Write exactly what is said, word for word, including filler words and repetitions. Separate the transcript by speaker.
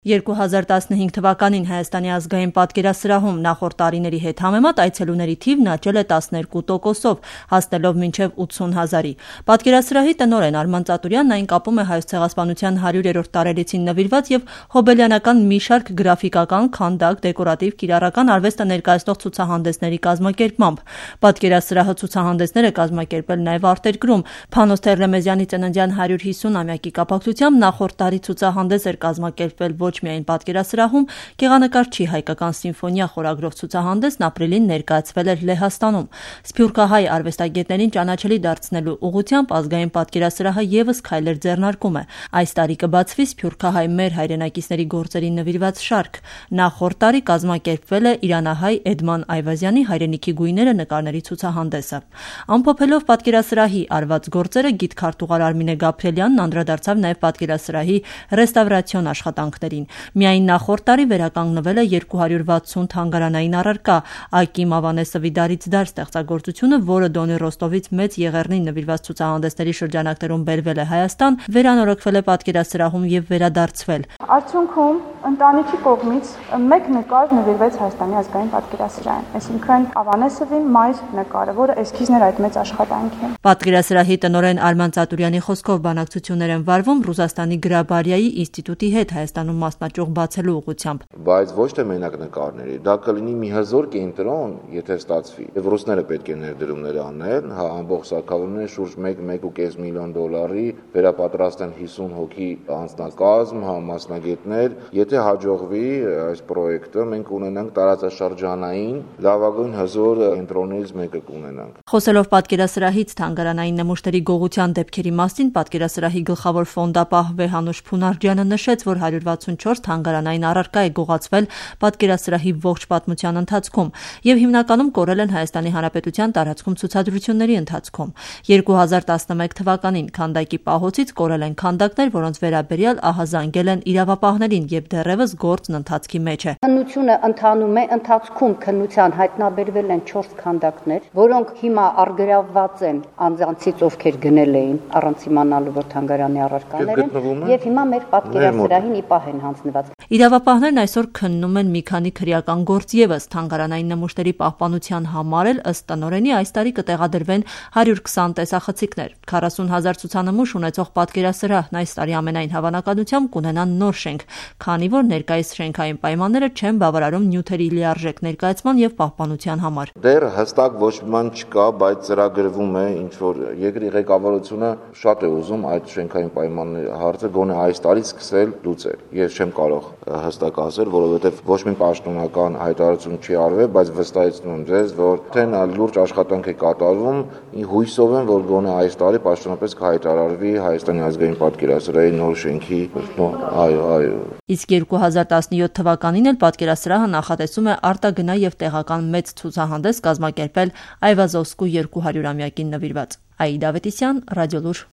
Speaker 1: երկու հազար տասնհինգ թվականին Հայաստանի ազգային պատկերասրահում նախորդ տարիների հետ համեմատ այցելուների թիվն աճել է տասներկու տոկոսով, հասնելով մինչև ութսուն հազարի։ Պատկերասրահի տնօրեն Արման Ծատուրյանն այն կապում է Հայոց ցեղասպանության հարյուրերորդ տարելիցին նվիրված եւ հոբելյանական մի շարք գրաֆիկական, քանդակ, դեկորատիվ, կիրառական արվեստը ներկայացնող ցուցահանդեսների կազմակերպմամբ։ Պատկերասրահը ցուցահանդեսներ է կազմակերպել նաեւ արտերկրում։ Փանոս Թերլեմեզյանի ծննդյան հարյուր հիսուն-ամյակի կապակցությամբ նախորդ տարի ցուցահանդես էր կազմակերպվել ոչ միայն պատկերասրահում, գեղանկարչի հայկական սիմֆոնիա խորագրով ցուցահանդեսն ապրիլին ներկայացվել էր Լեհաստանում։ Սփյուռքահայ արվեստագետներին ճանաչելի դարձնելու ուղղությամբ ազգային պատկերասրահը եւս քայլեր ձեռնարկում է։ Այս տարի կբացվի սփյուռքահայ մեր հայրենակիցների գործերին նվիրված շարք։ Նախորդ տարի կազմակերպվել է իրանահայ Էդման Այվազյանի հայրենիքի գույները նկարների ցուցահանդեսը։ Ամփոփելով պատկերասրահի արված գործերը գիթ-քարտուղար Արմինե Գաբրելյանն անդրադարձավ նաեւ պատկերասրահի ռեստավրացիոն աշխատանքներին։ Միայն նախորդ տարի վերականգնվել է երկու հարյուր վաթսուն թանգարանային առարկա։ Ակիմ Ավանեսը Վիդարից դար ստեղծագործությունը, որը Դոնի Ռոստովից մեծ Եղեռնին նվիրված ցուցահանդեսների շրջանակներում բերվել է Հայաստան, վերանորոգվել է պատկերասրահում եւ վերադարձվել։
Speaker 2: Արդյունքում ընտանիքի կողմից մեկ նկար նվիրվեց Հայաստանի ազգային պատկերասրահին, այսինքն Ավանեսովի մայր նկարը, որը էսքիզն էր այդ մեծ աշխատանքի։
Speaker 1: Պատկերասրահի տնօրեն Արման Ծատուրյանի խոսքով բանակցություններ են վարվում Ռուսաստանի Գրաբարիայի ինստիտուտի հետ Հայաստանում մասնաճյուղ բացելու ուղղությամբ։
Speaker 3: Բայց ոչ թե մենակ նկարների, դա կլինի մի հզոր կենտրոն, եթե ստացվի։ Եվ ռուսները պետք է ներդրումներ անեն, հա ամբողջ սարքավորումները շուրջ մեկ մեկ ու կես միլիոն դոլարի վերապատրաստեն հիսուն հոգի անձնակազմ, հա մասնագետներ։ Եթե հաջողվի այս պրոյեկտը, մենք ունենանք տարածաշրջանային լավագույն հզոր կենտրոններից մեկը կունենանք։
Speaker 1: Խոսելով պատկերասրահից թանգարանային նմուշների գողության դեպքերի մասին, պատկերասրահի գլխավոր ֆոնդապահ Վեհանուշ Փունարջյանը նշեց, որ հարյուր վաթսունչորս թանգարանային առարկա է գողացվել պատկերասրահի ողջ պատմության ընթացքում եւ հիմնականում կորել են Հայաստանի Հանրապետության տարածքում ցուցադրությունների ընթացքում։ երկու հազար տասնմեկ թվականին քանդակի պահոցից կորել են քանդակներ, որոնց վերաբերյալ ահազանգել են իրավապահներին եւ դեռևս գործն ընթացքի մեջ է։
Speaker 4: Քննությունը ընթանում է, ընթացքում քննության հայտնաբերվել են չորս քանդակներ, որոնք հիմա առգրավված են անձանցից, ովքեր գնել էին առանց իմանալու, որ թանգարանի առարկաներ են, եւ հիմա մեր պատկերասրահին ի պահ են հանձնված։
Speaker 1: Իրավապահներն այսօր քննում են մի քանի քրեական գործ եւս թանգարանային նմուշների պահպանության համար էլ ըստ տնօրենի այս տարի կտեղադրվեն հարյուր քսան տեսախցիկներ։ քառասուն հազար ցուցանմուշ ունեցող պատկերասրահն այս տարի ամենայն հավանականությամբ կունենա նոր շենք, քանի որ ներկայիս շենքային պայմանները չեն բավարարում նյութերի լիարժեք ներկայացման եւ պահպանության համար։
Speaker 3: Դեռ հստակ ոչ մի բան չկա, բայց ծրագրվում է ինչ որ երկրի ղեկավարությունը շատ է ուզում այդ շենքային պայմանների հարցը գոնե այս տարի սկսել լուծել։ Ես չեմ կարող հստակ ասել, որովհետև ոչ մի պաշտոնական հայտարարություն չի արվել, բայց վստահեցնում եմ ձեզ, որ թե նա լուրջ աշխատանք է կատարվում, հույսով եմ, որ գոնե այս տարի պաշտոնապես կհայտարարվի Հայաստանի ազգային պատկերասրահի նոր շենքի, այո, այո։
Speaker 1: Իսկ երկու հազար տասնյոթ թվականին էլ պատկերասրահը նախատեսում է արտագնա եւ տեղական մեծ ցուցահանդես կազմակերպել Այվազովսկու երկու հարյուրամյակին նվիրված։ Աիդա Ավետիսյան, Ռադիոլուր։